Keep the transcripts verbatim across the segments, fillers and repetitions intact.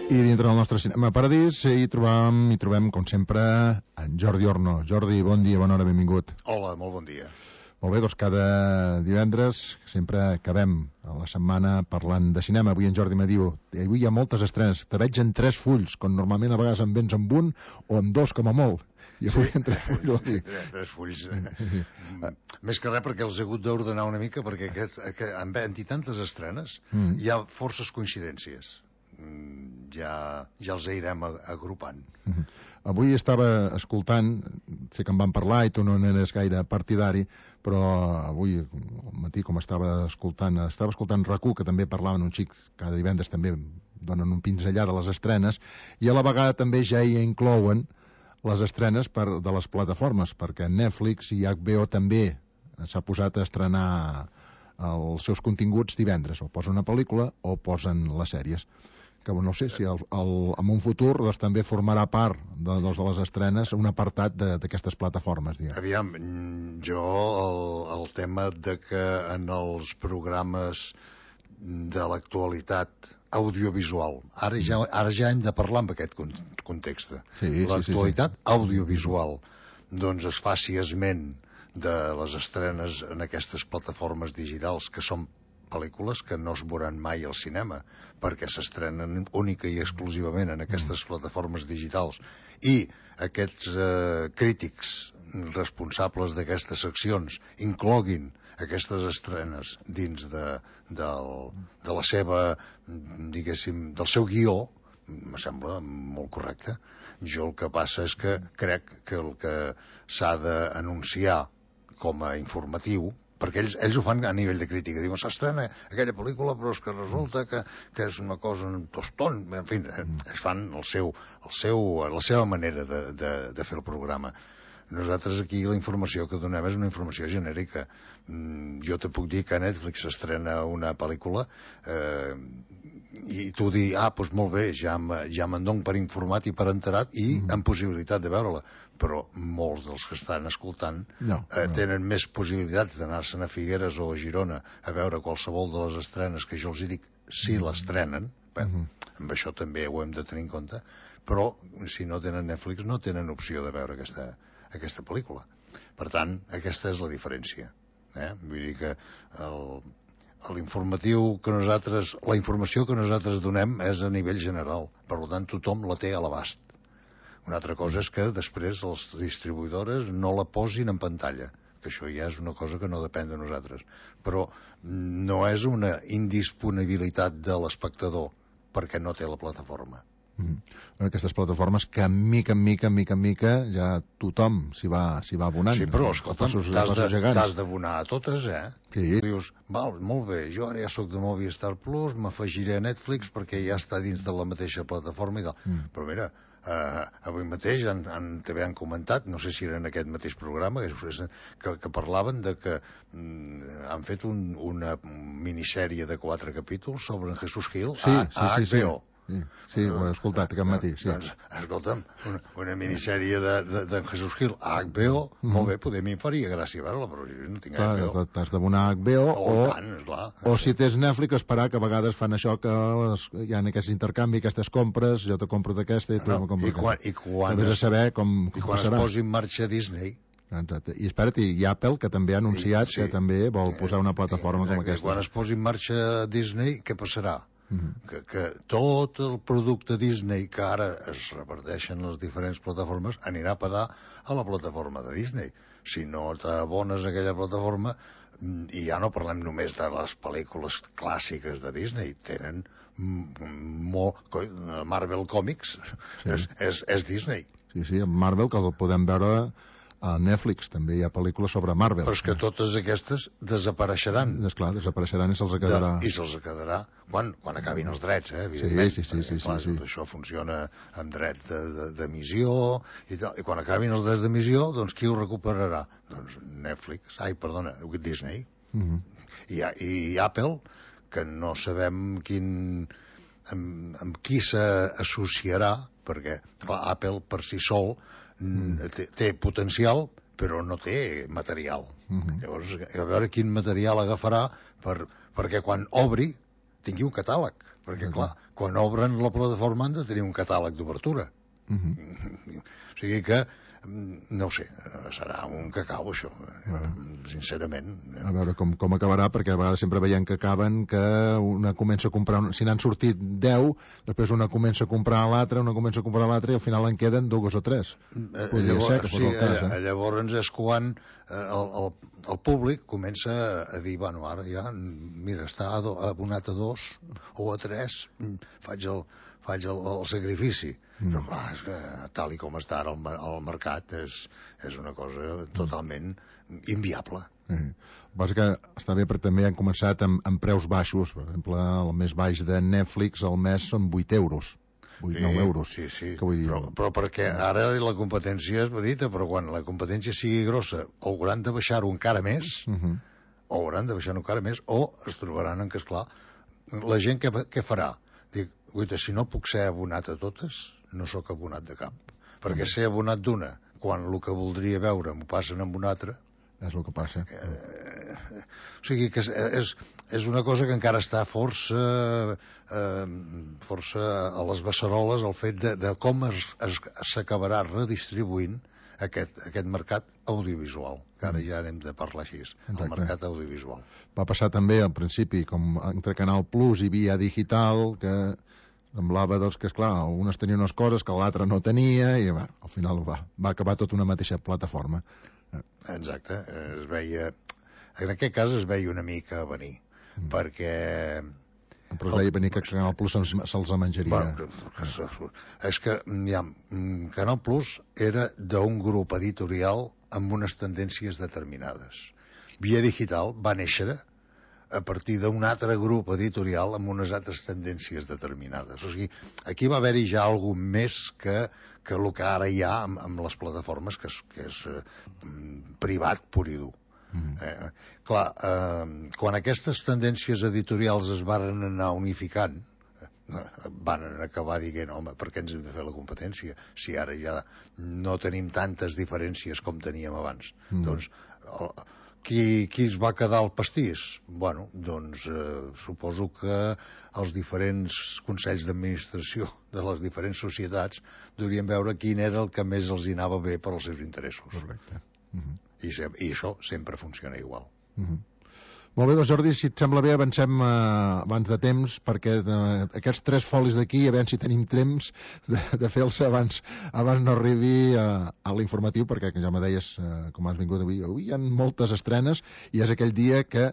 I dintre del nostre cinema paradís hi trobam, hi trobem, com sempre, en Jordi Orno. Jordi, bon dia, bona hora, benvingut. Hola, molt bon dia. Molt bé, doncs cada divendres sempre acabem a la setmana parlant de cinema. Avui en Jordi me diu, avui hi ha moltes estrenes, te veig en tres fulls, quan normalment a vegades en vens amb un o amb dos com a molt. I avui sí, en tres fulls. Vol dir. Tres fulls. Més que res perquè els he hagut d'ordenar una mica, perquè aquest, aquest, en tantes estrenes mm. hi ha forces coincidències. Ja, ja els irem agrupant. Uh-huh. Avui estava escoltant, sé que en van parlar i tu no n'eres gaire partidari, però avui al matí com estava escoltant estava escoltant RAC u, que també parlaven un xic, cada divendres també donen un pinzellar de les estrenes, i a la vegada també ja hi inclouen les estrenes per, de les plataformes, perquè Netflix i H B O també s'ha posat a estrenar els seus continguts divendres, o posen una pel·lícula o posen les sèries, que no sé si el, el, en un futur doncs, també formarà part de, de les estrenes un apartat d'aquestes plataformes. Diguem. Aviam, jo el, el tema de que en els programes de l'actualitat audiovisual, ara ja, ara ja hem de parlar en aquest context, sí, l'actualitat sí, sí, sí. audiovisual, doncs es faci esment de les estrenes en aquestes plataformes digitals que són pel·lícules que no es veuran mai al cinema perquè s'estrenen única i exclusivament en aquestes mm. plataformes digitals, i aquests eh, crítics responsables d'aquestes seccions incloguin aquestes estrenes dins de, de, de la seva, diguéssim, del seu guió, em sembla molt correcte. Jo el que passa és que crec que el que s'ha d'anunciar com a informatiu, perquè ells, ells ho fan a nivell de crítica, diuen s'estrena aquella pel·lícula però és que resulta que, que és una cosa un tostón, en fi, es fan el seu, el seu, la seva manera de, de, de fer el programa. Nosaltres aquí la informació que donem és una informació genèrica. Jo te puc dir que a Netflix s'estrena una pel·lícula eh, i tu dir, ah, doncs molt bé, ja, ja me'n dono per informat i per enterat i mm. amb possibilitat de veure-la, però molts dels que estan escoltant no, eh, no. tenen més possibilitats d'anar-se'n a Figueres o a Girona a veure qualsevol de les estrenes que jo els hi dic si mm. l'estrenen. Bé, mm-hmm. amb això també ho hem de tenir en compte, però si no tenen Netflix no tenen opció de veure aquesta, aquesta pel·lícula. Per tant, aquesta és la diferència. Eh? Vull dir que el, l'informatiu que nosaltres, la informació que nosaltres donem és a nivell general, per tant tothom la té a l'abast. Una altra cosa és que després les distribuïdores no la posin en pantalla, que això ja és una cosa que no depèn de nosaltres, però no és una indisponibilitat de l'espectador perquè no té la plataforma. Mm. Aquestes plataformes que mica en mica, mica en mica ja tothom s'hi va, s'hi va abonant. Sí, però escolta'm, t'has d'abonar a totes, eh? Sí. Dius, val, molt bé, jo ara ja sóc de Movistar Plus, m'afegiré a Netflix perquè ja està dins de la mateixa plataforma i tal. Mm. Però mira, eh, avui mateix en, en, també han comentat, no sé si era en aquest mateix programa, que, que, que parlaven de que mm, han fet un, una minissèrie de quatre capítols sobre en Jesús Gil sí, a, a sí, sí, H B O. Sí. Sí, sí, ho he escoltat aquest matí. Sí. Doncs, escolta'm, una, una minissèrie de, de, de Jesús Gil a H B O, mm-hmm. molt bé, poder m'hi faria gràcia veure-la, però jo no tinc clar, H B O. T'has d'abonar a H B O o, o, tant, esclar, o si tens Netflix, esperar que a vegades fan això que hi ha aquest intercanvi, aquestes compres, jo te compro d'aquesta i tu no, me compro i quan, i quan, es, saber com, com i quan passarà. es posi en marxa Disney. Exacte. I espera't, i Apple, que també ha anunciat I, sí, que també vol posar una plataforma com aquesta. Quan es posi en marxa Disney, què passarà? Mm-hmm. Que, que tot el producte Disney que ara es reparteixen les diferents plataformes anirà a parar a la plataforma de Disney. Si no t'abones a aquella plataforma, i ja no parlem només de les pel·lícules clàssiques de Disney, tenen molt... Marvel Comics sí. és, és, és Disney. Sí, sí, Marvel, que el podem veure a Netflix, també hi ha pel·lícules sobre Marvel. Però és que totes aquestes desapareixeran. Esclar, desapareixeran i se'ls quedarà... De, I se'ls quedarà quan, quan acabin els drets, eh, evidentment. Sí, sí, sí. sí, clar, sí, sí. Tot això funciona amb drets d'emissió i tal. I quan acabin els drets d'emissió, doncs qui ho recuperarà? Doncs Netflix, ai, perdona, Disney. Mm-hmm. I, I Apple, que no sabem quin... amb, amb qui s'associarà, perquè clar, Apple per si sol mm. té, té potencial però no té material. Mm-hmm. Llavors, a veure quin material agafarà per, perquè quan obri tingui un catàleg, perquè, clar, quan obren la plataforma han de tenir un catàleg d'obertura. Uh -huh. O sigui que, no ho sé, serà un cacau, això, uh, sincerament. A veure com, com acabarà, perquè a vegades sempre veiem que acaben que una comença a comprar, si n'han sortit deu, després una comença a comprar l'altra, una comença a comprar l'altra, i al final en queden dues o tres. Eh, Podria llavors, ser que fos sí, el cas, eh? Llavors és quan eh, el, el, el públic comença a dir, bueno, ara ja, mira, està abonat a dos o a tres, faig el, faig el, el sacrifici. Mm. Però clar, és que tal i com està ara el, el mercat és, és una cosa totalment inviable. Mm. Passa que està bé, però també han començat amb, amb preus baixos. Per exemple, el més baix de Netflix al mes són vuit euros. vuit, nou euros. Sí, sí, que vull dir? Però, però perquè ara la competència és petita, però quan la competència sigui grossa hauran de baixar-ho encara més, uh -huh. o hauran de baixar-ho encara més, o es trobaran en que, esclar, la gent què, què farà? Dic, guaita, si no puc ser abonat a totes, no sóc abonat de cap. Perquè ser abonat d'una, quan el que voldria veure m'ho passen amb una altra... És el que passa. Eh, o sigui que és, és, és una cosa que encara està força, eh, força a les beceroles, el fet de, de com s'acabarà redistribuint aquest, aquest mercat audiovisual, que ara ja n'hem de parlar així, Exacte. El mercat audiovisual. Va passar també al principi, com entre Canal Plus i via digital, que semblava doncs, que, esclar, unes tenien unes coses que l'altra no tenia, i va, al final va, va acabar tota una mateixa plataforma. Exacte, es veia... En aquest cas es veia una mica a venir, mm. perquè... Però es veia venir que Canal Plus se'ls menjaria. Bueno, és que ja, Canal Plus era d'un grup editorial amb unes tendències determinades. Via Digital va néixer a partir d'un altre grup editorial amb unes altres tendències determinades. O sigui, aquí va haver-hi ja algun més que, que el que ara hi ha amb, amb les plataformes, que és, que és eh, privat pur i dur. Mm. Eh, clar, eh, quan aquestes tendències editorials es varen anar unificant, eh, van acabar dient, home, per què ens hem de fer la competència si ara ja no tenim tantes diferències com teníem abans? Mm. Doncs... El, Qui, qui es va quedar al pastís? Bueno, doncs eh, suposo que els diferents consells d'administració de les diferents societats deurien veure quin era el que més els hi anava bé per als seus interessos. Correcte. Uh -huh. I, se, I això sempre funciona igual. Uh -huh. Molt bé, doncs Jordi, si et sembla bé avancem eh, abans de temps, perquè eh, aquests tres folis d'aquí, a veure si tenim temps de, de fer-los abans, abans no arribi a, a l'informatiu, perquè ja me deies, eh, com has vingut avui, avui hi ha moltes estrenes i és aquell dia que,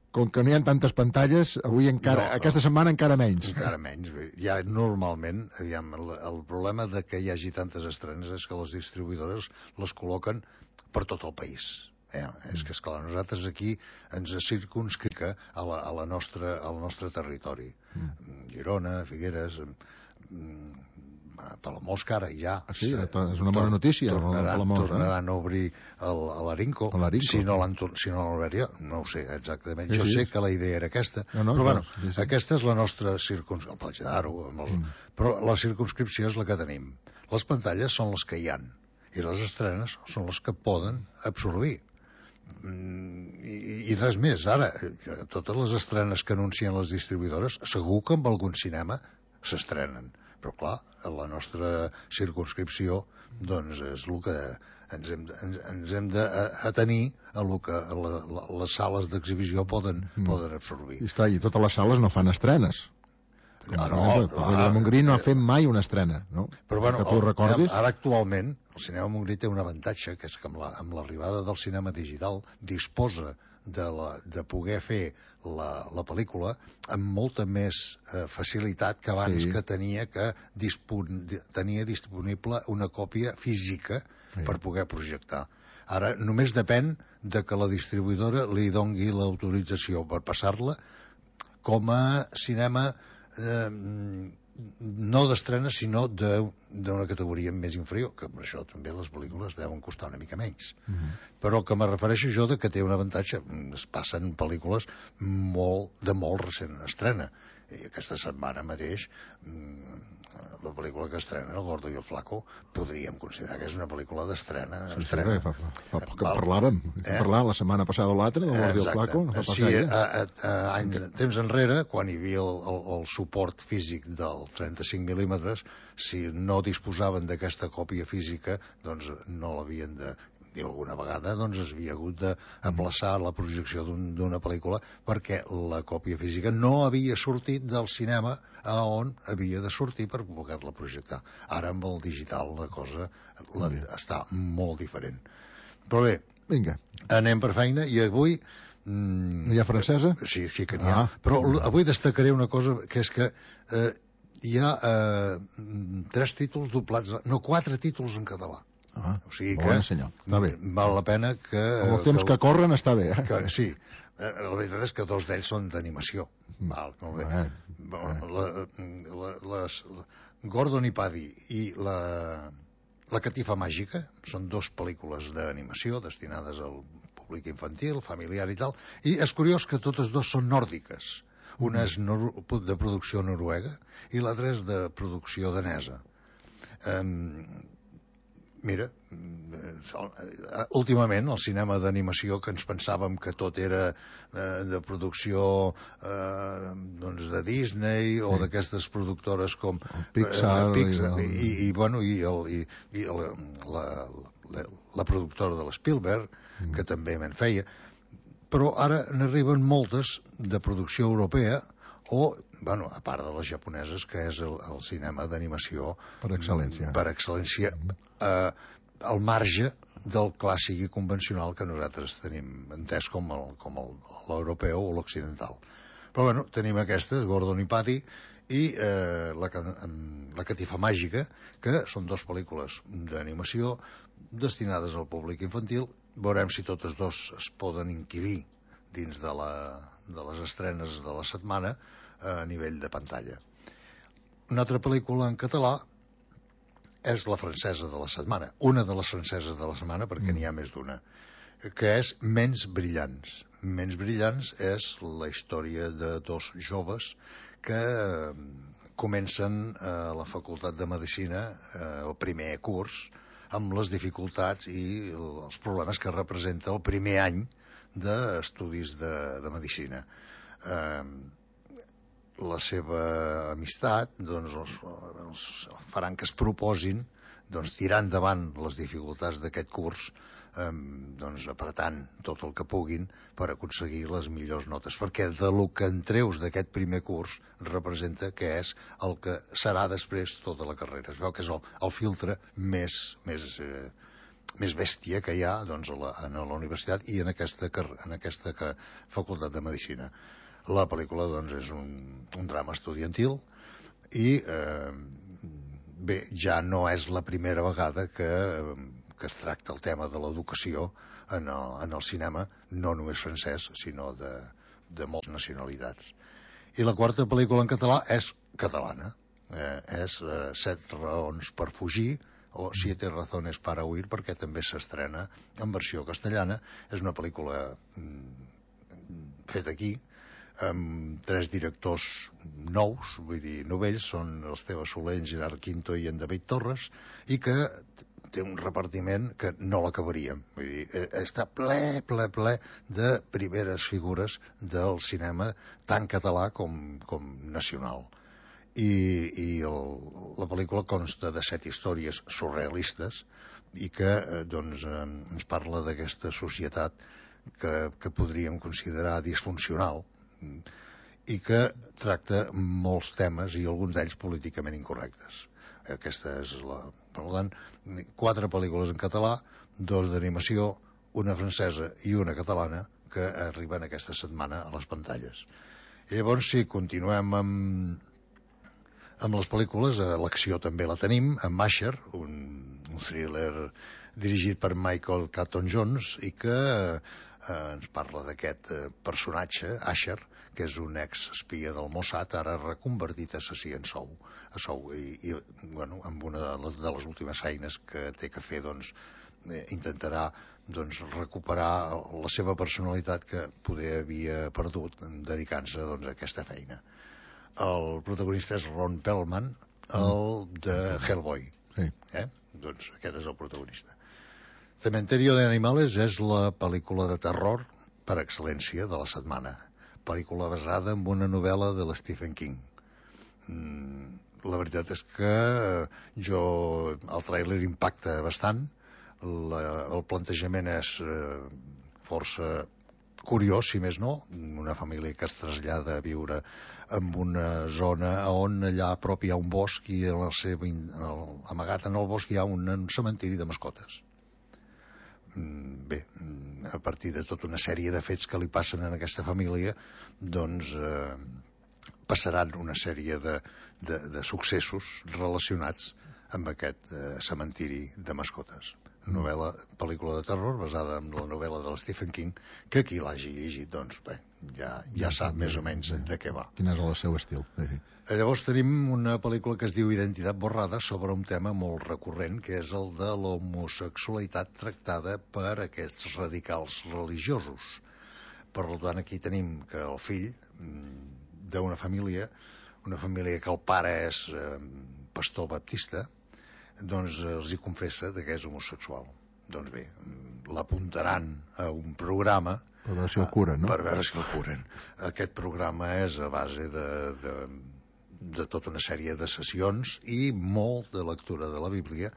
com que no hi ha tantes pantalles, avui encara, no, aquesta setmana encara menys. Encara menys. Ja normalment, aviam, el, el problema de que hi hagi tantes estrenes és que les distribuïdores les col·loquen per tot el país. Eh, és que, esclar, nosaltres aquí ens circunscrica a la, a la nostra, al nostre territori. Mm. Girona, Figueres, Palamós, que ara ja... Ah, sí, és una bona notícia. Tornaran, Palamós, tornaran eh? a obrir l'Arinco. Si no l'han si no obert jo, no ho sé exactament. Sí, jo sí. sé que la idea era aquesta. No, no, però, bueno, sí, sí. aquesta és la nostra circunscripció. El Platja d'Aro, mm. però la circunscripció és la que tenim. Les pantalles són les que hi han i les estrenes són les que poden absorbir. I, i res més. Ara, totes les estrenes que anuncien les distribuïdores, segur que amb algun cinema s'estrenen. Però, clar, a la nostra circunscripció, doncs, és el que ens hem, ens, ens hem d'atenir a el que a la, la, les sales d'exhibició poden, mm. poden absorbir. I, esclar, i totes les sales no fan estrenes. No, no, el Cinema Montgrí no ha fet mai una estrena, no? Però, bueno, que tu recordis... Ara, actualment, el Cinema Montgrí té un avantatge, que és que amb l'arribada la, del cinema digital disposa de, la, de poder fer la, la pel·lícula amb molta més eh, facilitat que abans, sí. que tenia que dispon, tenia disponible una còpia física, sí. per poder projectar. Ara només depèn de que la distribuïdora li dongui l'autorització per passar-la com a cinema eh, no d'estrena, sinó d'una categoria més inferior, que per això també les pel·lícules deuen costar una mica menys. Uh -huh. Però que me refereixo jo de que té un avantatge. Es passen pel·lícules molt, de molt recent estrena. I aquesta setmana mateix la pel·lícula que estrena, El Gordo i el Flaco, podríem considerar que és una pel·lícula d'estrena. Sí, sí, fa, fa, fa poc que parlàvem, eh? parlàvem la setmana passada o l'altra, del Gordo i el Flaco, no fa pas sí, gaire. A, a, a, anys, temps enrere, quan hi havia el, el, el suport físic del trenta-cinc mil·límetres, si no disposaven d'aquesta còpia física, doncs no l'havien de... i alguna vegada doncs es havia hagut d'aplaçar la projecció d'una un, pel·lícula perquè la còpia física no havia sortit del cinema a on havia de sortir per poder-la projectar. Ara amb el digital la cosa la, està molt diferent. Però bé, vinga, anem per feina i avui... Mm, no hi ha francesa? Sí, sí que n'hi ha. Ah. Però avui destacaré una cosa, que és que eh, hi ha eh, tres títols doblats, no, quatre títols en català. Ah, o sigui bon senyor, està bé. Val la pena que... Amb els temps que, que corren està bé, eh? Que, sí, la veritat és que dos d'ells són d'animació. Val, molt bé. Eh, eh. La, la, les, la, Gordon i Paddy i la, la Catifa Màgica són dos pel·lícules d'animació destinades al públic infantil, familiar i tal, i és curiós que totes dues són nòrdiques. Una és de producció noruega i l'altra és de producció danesa. Um, Mira, últimament el cinema d'animació, que ens pensàvem que tot era eh, de producció eh, doncs de Disney o sí. d'aquestes productores com el Pixar, eh, Pixar i, el... i, i, bueno, i, el, i, i el, la, la, la productora de l'Spielberg, mm. que també me'n feia, però ara n'arriben moltes de producció europea o, bueno, a part de les japoneses, que és el, el cinema d'animació per excel·lència, per excel·lència eh, al marge del clàssic i convencional que nosaltres tenim entès com el, com el, l'europeu o l'occidental. Però, bueno, tenim aquestes, Gordon i Paddy, i eh, la, la Catifa Màgica, que són dues pel·lícules d'animació destinades al públic infantil. Veurem si totes dos es poden inquirir dins de, la, de les estrenes de la setmana a nivell de pantalla. Una altra pel·lícula en català és la francesa de la setmana, una de les franceses de la setmana, perquè mm. n'hi ha més d'una, que és Ments brillants. Ments brillants és la història de dos joves que eh, comencen a la Facultat de Medicina, eh, el primer curs, amb les dificultats i els problemes que representa el primer any d'estudis de, de medicina. Eh, la seva amistat doncs, els, els faran que es proposin doncs, tirar endavant les dificultats d'aquest curs, eh, doncs, apretant tot el que puguin per aconseguir les millors notes, perquè de lo que en treus d'aquest primer curs representa que és el que serà després tota la carrera. Es veu que és el, el filtre més, més, eh, més bèstia que hi ha doncs, a, la, a la universitat i en aquesta, en aquesta facultat de Medicina. La pel·lícula doncs, és un, un drama estudiantil i eh, bé, ja no és la primera vegada que, que es tracta el tema de l'educació en, el, en el cinema, no només francès, sinó de, de moltes nacionalitats. I la quarta pel·lícula en català és catalana, eh, és eh, Set raons per fugir, o Siete razones para huir, perquè també s'estrena en versió castellana. És una pel·lícula mm, feta aquí, amb tres directors nous, vull dir, novells, són l'Esteve Soler, en Gerard Quinto i en David Torres, i que té un repartiment que no l'acabaríem. Vull dir, està ple, ple, ple de primeres figures del cinema, tant català com, com nacional. I, i el, la pel·lícula consta de set històries surrealistes i que doncs, ens parla d'aquesta societat que, que podríem considerar disfuncional, i que tracta molts temes i alguns d'ells políticament incorrectes. Aquesta és la... Per tant, quatre pel·lícules en català, dos d'animació, una francesa i una catalana que arriben aquesta setmana a les pantalles. I llavors, si continuem amb, amb les pel·lícules, l'acció també la tenim, amb Asher, un, un thriller dirigit per Michael Caton Jones i que eh, ens parla d'aquest eh, personatge, Asher, que és un ex-espia del Mossad, ara reconvertit a assassí en sou, a sou i, i bueno, amb una de les, de les últimes feines que té que fer, doncs, eh, intentarà doncs, recuperar la seva personalitat que poder havia perdut dedicant-se doncs, a aquesta feina. El protagonista és Ron Perlman, el de Hellboy. Sí. Eh? Doncs aquest és el protagonista. Cementerio de Animales és la pel·lícula de terror per excel·lència de la setmana. Pel·lícula basada en una novel·la de l'Stephen King. Mm, la veritat és que jo el tràiler impacta bastant. La, el plantejament és eh, força curiós, si més no, una família que es trasllada a viure en una zona on allà a prop hi ha un bosc i en la seva, el, amagat en el bosc hi ha un, un cementiri de mascotes. Bé, a partir de tota una sèrie de fets que li passen en aquesta família, doncs eh, passaran una sèrie de, de, de successos relacionats amb aquest eh, cementiri de mascotes. Novel·la, pel·lícula de terror basada en la novel·la de Stephen King, que qui l'hagi llegit, doncs bé, ja, ja sap més o menys de què va. Quin és el seu estil. Sí. Llavors tenim una pel·lícula que es diu Identitat borrada sobre un tema molt recurrent, que és el de l'homosexualitat tractada per aquests radicals religiosos. Per tant, aquí tenim que el fill d'una família, una família que el pare és eh, pastor baptista, doncs els hi confessa que és homosexual. Doncs bé, l'apuntaran a un programa per veure si el curen, no? Per veure si el curen. Aquest programa és a base de, de, de tota una sèrie de sessions i molt de lectura de la Bíblia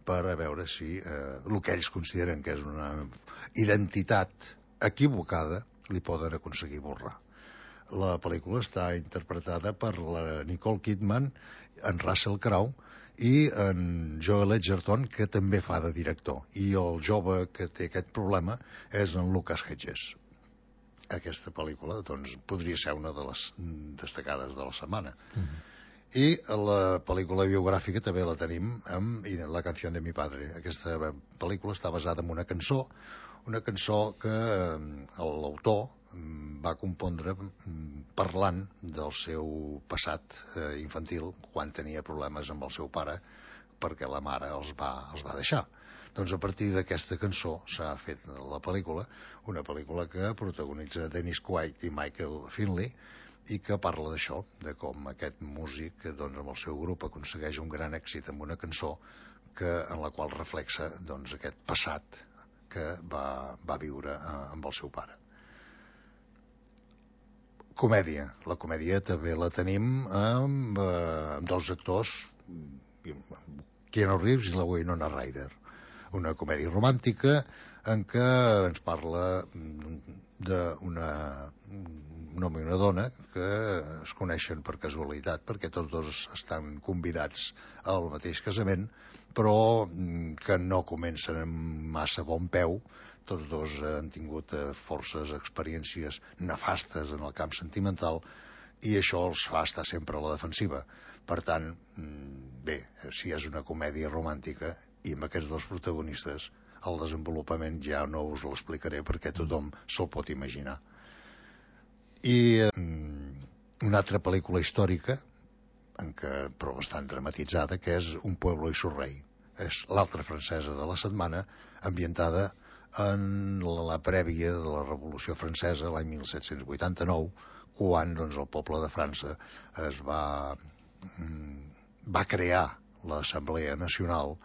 per a veure si eh, el que ells consideren que és una identitat equivocada li poden aconseguir borrar. La pel·lícula està interpretada per la Nicole Kidman, en Russell Crowe i en Joel Edgerton, que també fa de director. I el jove que té aquest problema és en Lucas Hedges. Aquesta pel·lícula doncs, podria ser una de les destacades de la setmana. Uh-huh. I la pel·lícula biogràfica també la tenim amb La canción de mi padre. Aquesta pel·lícula està basada en una cançó, una cançó que l'autor va compondre parlant del seu passat eh, infantil quan tenia problemes amb el seu pare perquè la mare els va, els va deixar. Doncs a partir d'aquesta cançó s'ha fet la pel·lícula, una pel·lícula que protagonitza Dennis Quaid i Michael Finley i que parla d'això, de com aquest músic doncs, amb el seu grup aconsegueix un gran èxit amb una cançó que, en la qual reflexa doncs, aquest passat que va, va viure eh, amb el seu pare. Comèdia. La comèdia també la tenim amb, eh, amb dos actors, Keanu Reeves i la Winona Ryder. Una comèdia romàntica en què ens parla d'una un home i una dona que es coneixen per casualitat, perquè tots dos estan convidats al mateix casament, però que no comencen amb massa bon peu. Tots dos han tingut forces experiències nefastes en el camp sentimental i això els fa estar sempre a la defensiva. Per tant, bé, si és una comèdia romàntica i amb aquests dos protagonistes, el desenvolupament ja no us l'explicaré perquè tothom se'l pot imaginar. I una altra pel·lícula històrica, en què, però bastant dramatitzada, que és Un pueblo y su rey. És l'altra francesa de la setmana, ambientada en la prèvia de la Revolució Francesa, l'any mil set-cents vuitanta-nou, quan doncs, el poble de França es va, va crear l'Assemblea Nacional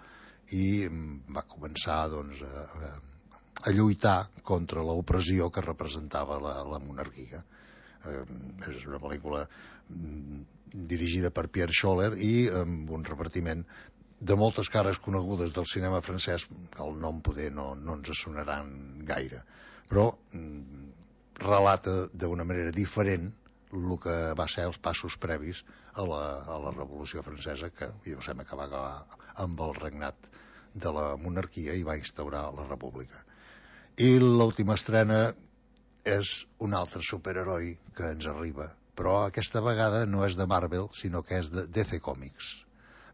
i va començar doncs, a, a lluitar contra l'opressió que representava la, la monarquia. Eh, és una pel·lícula dirigida per Pierre Scholler i amb un repartiment de moltes cares conegudes del cinema francès. El nom poder no, no ens sonaran gaire, però mm, relata d'una manera diferent el que va ser els passos previs a la, a la Revolució Francesa, que jo sembla que va acabar amb el regnat de la monarquia i va instaurar la república. I l'última estrena és un altre superheroi que ens arriba, però aquesta vegada no és de Marvel, sinó que és de D C Comics.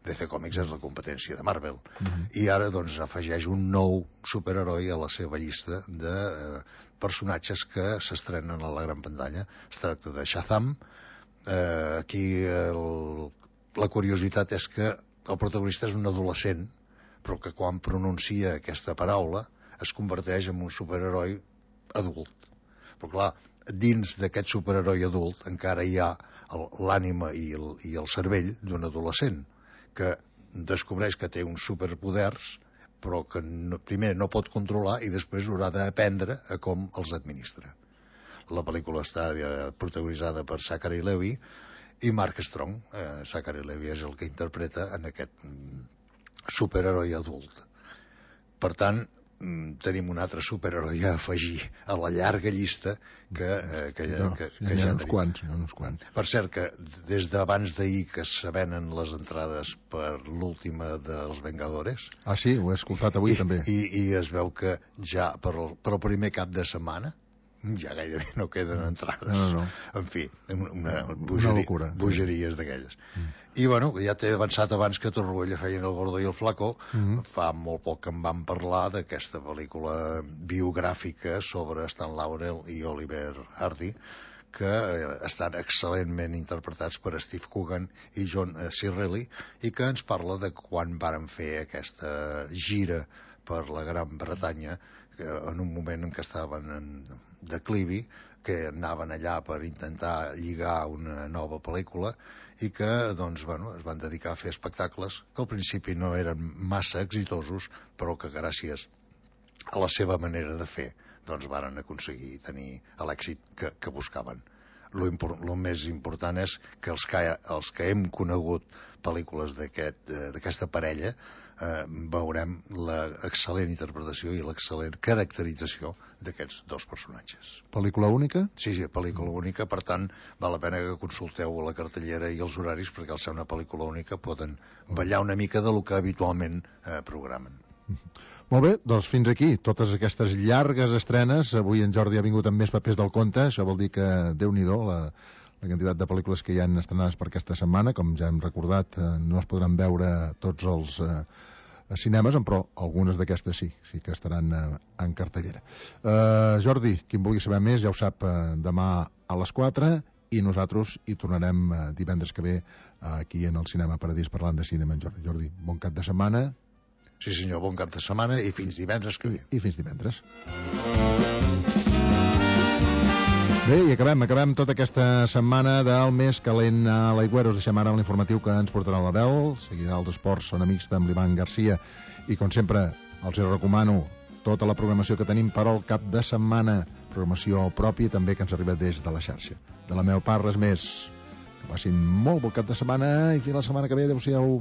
D C Comics és la competència de Marvel. Uh-huh. I ara doncs afegeix un nou superheroi a la seva llista de eh, personatges que s'estrenen a la gran pantalla. Es tracta de Shazam. Eh, aquí el, la curiositat és que el protagonista és un adolescent, però que quan pronuncia aquesta paraula es converteix en un superheroi adult. Però clar, dins d'aquest superheroi adult encara hi ha l'ànima i, el, i el cervell d'un adolescent que descobreix que té uns superpoders però que no, primer no pot controlar i després haurà d'aprendre a com els administra. La pel·lícula està eh, protagonitzada per Zachary Levi i Mark Strong. eh, Zachary Levi és el que interpreta en aquest mm, superheroi adult. Per tant, tenim un altre superheroi a afegir a la llarga llista que, eh, que, no, que, que, que hi ha ja uns quants, hi ha uns quants. Per cert, que des d'abans d'ahir que se venen les entrades per l'última dels Vengadores... Ah, sí? Ho he escoltat avui i, també. I, I es veu que ja per el, per el primer cap de setmana ja gairebé no queden entrades. No, no, no. En fi, una, una, bogeria, una locura. Bogeries d'aquelles. Mm. I, bueno, ja t'he avançat abans que Torroella feien El gordo i el flaco. Mm-hmm. Fa molt poc que em van parlar d'aquesta pel·lícula biogràfica sobre Stan Laurel i Oliver Hardy, que estan excel·lentment interpretats per Steve Coogan i John Cirelli, i que ens parla de quan varen fer aquesta gira per la Gran Bretanya, en un moment en què estaven en declivi, que anaven allà per intentar lligar una nova pel·lícula i que doncs, bueno, es van dedicar a fer espectacles que al principi no eren massa exitosos, però que gràcies a la seva manera de fer doncs varen aconseguir tenir l'èxit que, que buscaven. Lo, impor, lo més important és que els que, els que hem conegut pel·lícules d'aquesta aquest, parella eh, veurem l'excel·lent interpretació i l'excel·lent caracterització d'aquests dos personatges. Pel·lícula única? Sí, sí, pel·lícula única, per tant val la pena que consulteu la cartellera i els horaris, perquè al ser una pel·lícula única poden ballar una mica de lo que habitualment eh, programen. Molt bé, doncs fins aquí totes aquestes llargues estrenes. Avui en Jordi ha vingut amb més papers del compte. Això vol dir que, Déu-n'hi-do, la, la quantitat de pel·lícules que hi han estrenades per aquesta setmana. Com ja hem recordat, eh, no es podran veure tots els eh, cinemes, però algunes d'aquestes sí, sí que estaran eh, en cartellera. Eh, Jordi, qui en vulgui saber més ja ho sap, eh, demà a les quatre, i nosaltres hi tornarem eh, divendres que ve eh, aquí en el Cinema Paradís parlant de cinema en Jordi. Jordi, bon cap de setmana. Sí senyor, bon cap de setmana i fins divendres que ve. I, i fins divendres. Bé, i acabem, acabem tota aquesta setmana del més calent a l'Aigüera. Us deixem ara l'informatiu que ens portarà l'Abel. Seguirà els esports, són amics amb l'Ivan Garcia. I com sempre, els recomano tota la programació que tenim per al cap de setmana. Programació pròpia també que ens arriba des de la xarxa. De la meva part, res més. Que passin molt bon cap de setmana i fins la setmana que ve. Adéu-siau.